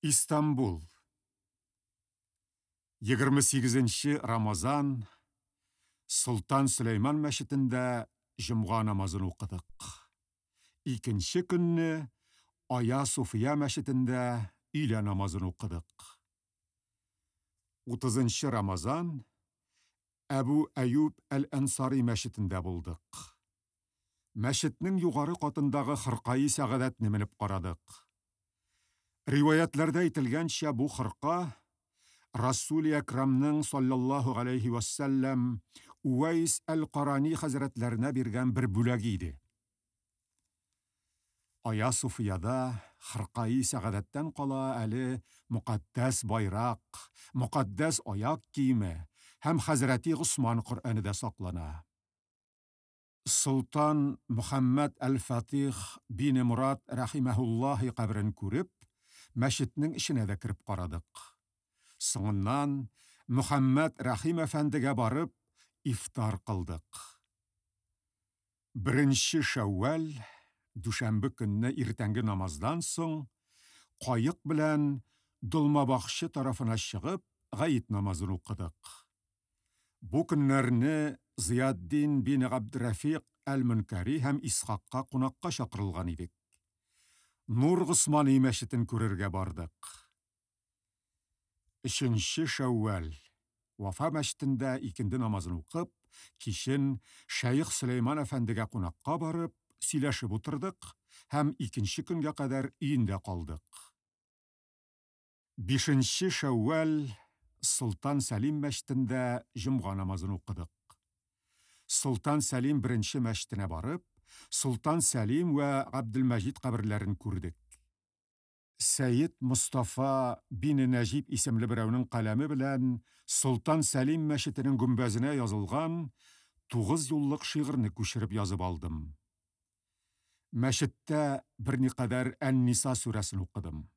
Истанбул. 28 Рамазан Солтан Сөләйман мәчетендә җомга намазын укыдык. Икенче көнне Ая Суфия мәчетендә өйлә намазын укыдык. 30 Рамазан Әбу Әюб әл-Әнсари мәчетендә булдык. Мәчетнең югары катындагы хыркаи сәгадәтне менеп карадык. Риваятләрдә әйтелгәнчә, бу хырка Расули Әкрамның саллаллаһу галәйһи вәссәлләм Увайс әл-Карани хәзрәтләренә биргән бер бүләге иде. Ая Суфияда хыркаи сәгадәттән кала әле мөкатдәс байрак, мөкатдәс аяк киеме һәм хәзрәти Госман Коръәне дә саклана. Солтан Мөхәммәд әл-Фатих бине Морад рәхимәһуллаһи каберен күреп, мәчетнең эченә дә кереп карадык. Соңыннан Мөхәммәд Рәхим әфәндегә барып, ифтар кылдык. Беренче Шәүвәл, дүшәмбе көнне иртәнге намаздан соң, каек белән Долмабахчы тарафына чыгып, гает намазын укыдык. Бу көннәрне Зыятдин бин Габдерәфикъ әл-Мөнкәри һәм Исхакка кунакка чакырылган идек. Нур Госмани мәчетен күрергә бардык. Өченче Шәүвәл, Вафа мәчетендә икенде намазын укып, кичен Шәех Сөләйман әфәндегә кунакка барып, сөйләшеп утырдык һәм икенче көнгә кадәр өендә калдык. Бишенче Шәүвәл, Солтан Сәлим мәчетендә җомга намазын укыдык. Солтан Сәлим беренче мәчетенә барып, Солтан Сәлим вә Габделмәҗид каберләрен күрдек. Сәйед Мостафа бине Нәҗип исемле берәүнең каләме белән Солтан Сәлим мәчетенең гөмбәзенә язылган тугыз юллык шигырьне күчереп язып алдым. Мәчеттә берникадәр Ән-Ниса сүрәсен укыдым.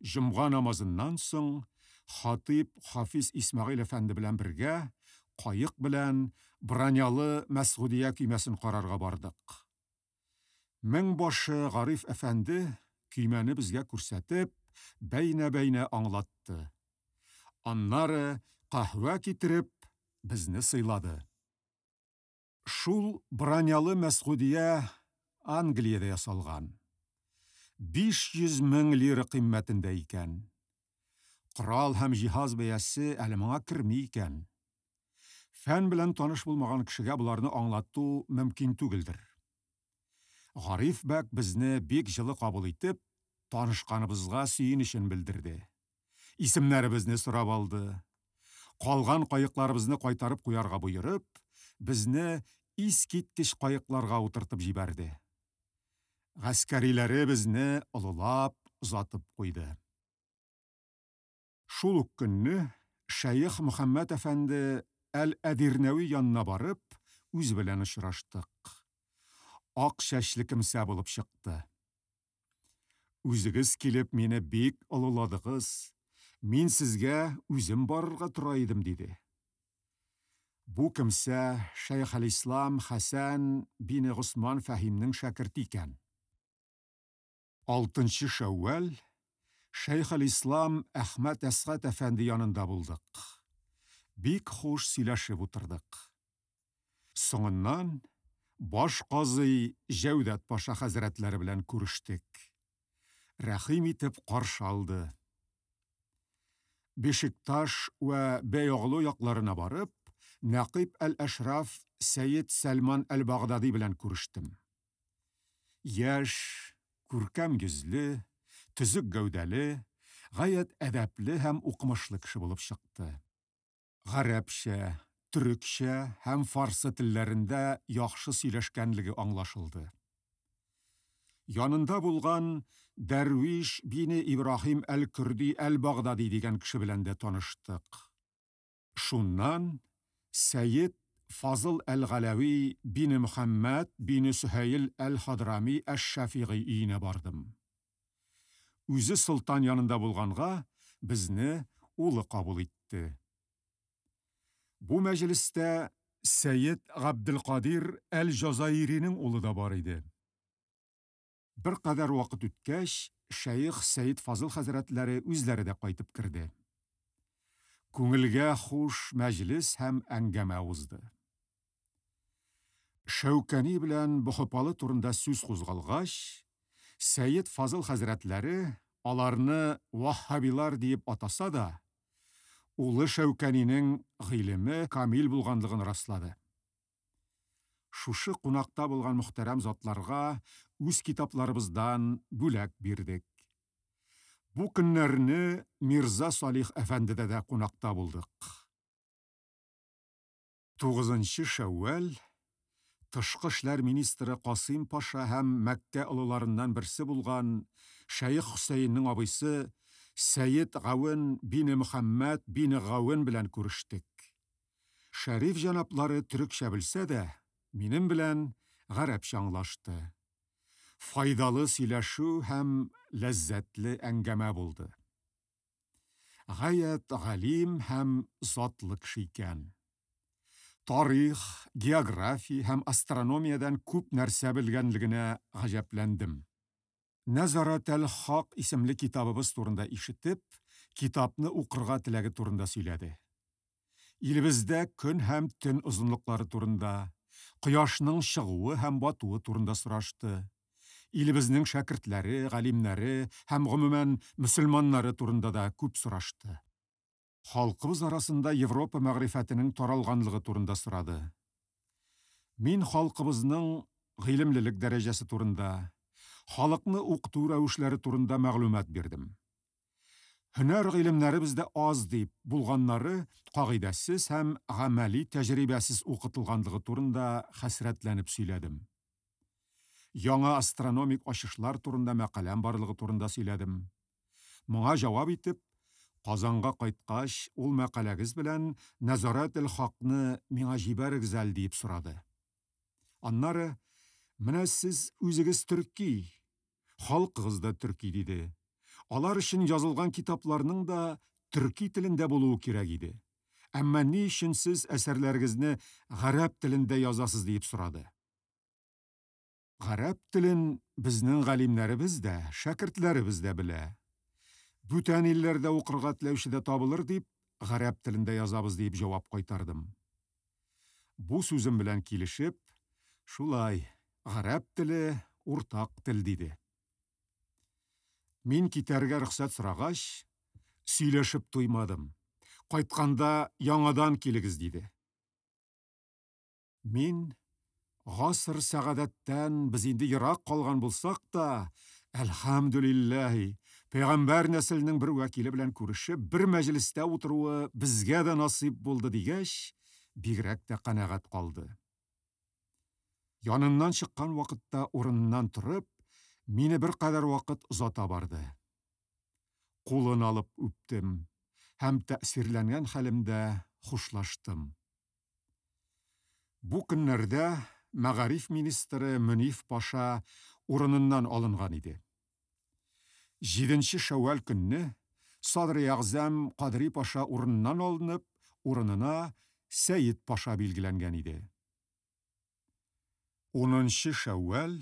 Җомга намазыннан соң хатип Хафиз Исмәгыйль әфәнде белән бергә каек белән бронялы Мәсгудия көймәсен карарга бардык. Мең башы Гариф әфәнде көймәне безгә күрсәтеп, бәйнә-бәйнә аңлатты. Аннары каһвә китереп, безне сыйлады. Шул бронялы Мәсгудия Англиядә ясалган. 500 мең лира кыйммәтендә икән. Корал һәм җиһаз бәясе әле моңа керми икән. Фән белән таныш булмаган кешегә боларны аңлату мөмкин түгелдер. Гариф бәк безне бик җылы кабул итеп, танышканыбызга сөенечен белдерде. Исемнәребезне сорап алды. Калган каекларыбызны кайтарып куярга боерып, безне искиткеч каекларга утыртып җибәрде. Гаскәриләре безне олылап озатып куйды. Шул ук көнне Шәех Мөхәммәд әфәнде әл-Әдирнәви янына барып, үзе белән очраштык. Ак чәчле кемсә булып чыкты. Үзегез килеп мине бик олыладыгыз. Мин сезгә үзем барырга тора идем, диде. Бу кемсә Шәйх әл-Ислам Хәсән бине Госман Фәһимнең шәкерте икән. Алтынчы Шәүвәл Шәйх әл-Ислам Әхмәт Әсгать әфәнде янында булдык. Бик хуш сөйләшеп утырдык. Соңыннан баш казый Җәүдәт паша хәзрәтләре белән күрештек. Рәхим итеп каршы алды. Бешикташ вә Бәйоглу якларына барып, Нәкыйб әл-Әшраф Сәйед Сәлман әл-Багдади белән күрештем. Яшь, күркәм йөзле, төзек гәүдәле, гаять әдәпле һәм укымышлы кеше булып чыкты. Гарәпчә, төрекчә һәм фарсы телләрендә яхшы сөйләшкәнлеге аңлашылды. Янында булган Дәрвиш бине Ибраһим әл-Көрди әл-Багдади дигән кеше белән дә таныштык. Шуннан Сәйед Фазыл әл-Галәви бине Мөхәммәд бине Сөһәйл әл-Хадрами әш-Шәфигый өенә бардым. Үзе солтан янында булганга, безне улы кабул итте. Бу мәҗлестә Сәйед Габделкадир әл-Җазаиринең улы да бар иде. Беркадәр вакыт үткәч, шәех Сәет Фазыл хәзрәтләре үзләре дә кайтып керде. Күңелгә хуш мәҗлес һәм әңгәмә узды. Шәүкәни белән Бохопалы турында сүз кузгалгач, Сәет Фазыл хәзрәтләре аларны ваһһабилар диеп атаса да, улы Шәүкәнинең гыйлеме камил булганлыгын раслады. Шушы кунакта булган мөхтәрәм затларга үз китапларыбыздан бүләк бирдек. Бу көннәрне Мирза Салих әфәндедә дә кунакта булдык. Тугызынчы шәүвәл Тышкы эшләр министры Касыйм паша һәм Мәккә олыларыннан берсе булган шәех Хөсәеннең абыйсы Сәет Гавен бине Мөхәммәд бине Гавен белән күрештек. Шәриф җәнаплары төрекчә белсә дә, минем белән гарәпчә аңлашты. Файдалы сөйләшү һәм ләззәтле әңгәмә булды. Гаять галим һәм затлы кеше икән. Тарих, география һәм астрономиядән күп нәрсә белгәнлегенә гаҗәпләндем. Нәзарәтәл-Хак исемле китабыбыз турында ишетеп, китапны укырга теләге турында сөйләде. Илебездә көн һәм төн озынлыклары турында, кояшның чыгуы һәм батуы турында сорашты. Илебезнең шәкертләре, галимнәре һәм, гомумән, мөселманнары турында да күп сорашты. Халкыбыз арасында Европа мәгърифәтенең таралганлыгы турында сорады. Мин халкыбызның гыйлемлелек дәрәҗәсе турында, халыкны укыту рәвешләре турында мәгълүмат бирдем. Һөнәр гыйлемнәре бездә аз дип, булганнары кагыйдәсез һәм гамәли тәҗрибәсез укытылганлыгы турында хәсрәтләнеп сөйләдем. Яңа астрономик ачышлар турында мәкаләм барлыгы турында сөйләдем. Моңа җавап итеп, Казанга кайткач, ул мәкаләгез белән Нәзарәтел-Хакны миңа җибәрегез әле, диеп сорады. Аннары, Менә сез үзегез төрки, халкыгыз да төрки, диде. Алар өчен язылган китапларның да төрки телендә булуы кирәк иде. Әмма ни өчен сез әсәрләрегезне гарәп телендә язасыз, диеп сорады. Гарәп телен безнең галимнәребез дә, шәкертләребез дә белә. Бүтән илләрдә укырга теләүче дә табылыр дип, гарәп телендә язабыз, диеп җавап кайтардым. Бу сүзем белән килешеп, шулай, гарәп теле, уртак тел, диде. Мин китәргә рөхсәт сорагач, сөйләшеп туймадым. Кайтканда яңадан килегез, диде. Мин, гасыр сәгадәттән без инде ерак калган булсак та, әлхәмдүлилләһи, пәйгамбәр нәселенең бер вәкиле белән күрешеп, бер мәҗлестә утыруы безгә дә насыйп булды дигәч, бигрәк тә канәгать калды. Яныннан чыккан вакытта урыныннан торып, мине беркадәр вакыт озата барды. Кулын алып үптем һәм тәэсирләнгән хәлемдә хушлаштым. Бу көннәрдә мәгариф министры Мөниф паша урыныннан алынган иде. Җиденче шәүвәл көнне садрыәгъзам Кадри паша урыныннан алынып, урынына Сәет паша билгеләнгән иде. Унынчы шәүвәл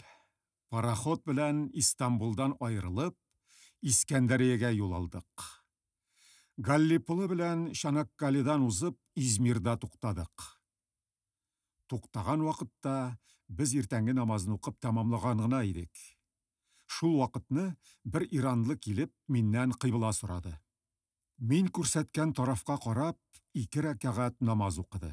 пароход белән Истанбулдан аерылып, Искәндәриягә юл алдык. Галлиполы белән Чанаккаледан узып, Измирда туктадык. Туктаган вакытта без иртәнге намазны укып тәмамлаган гына идек. Шул вакытны бер иранлы килеп, миннән кыйбла сорады. Мин күрсәткән тарафка карап, ике рәкәгать намаз укыды.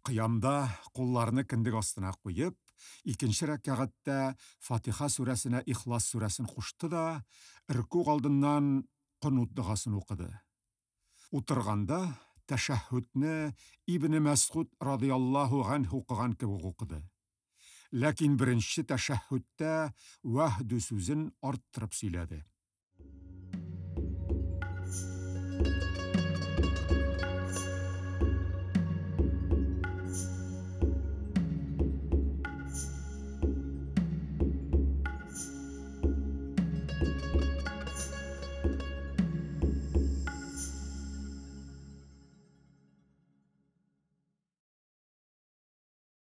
Кыямда кулларны кендек астына куеп, икенче рәкәгатьтә Фатиха сүрәсенә Ихлас сүрәсен кушты да, ркуг алдыннан Конут догасын укыды. Утырганда тәшәһһүдне Ибне Мәсгуд радыяллаһу ганһу укыган кебек укыды. Ләкин беренче тәшәһһүдтә вәһдү сүзен арттырып сөйләде.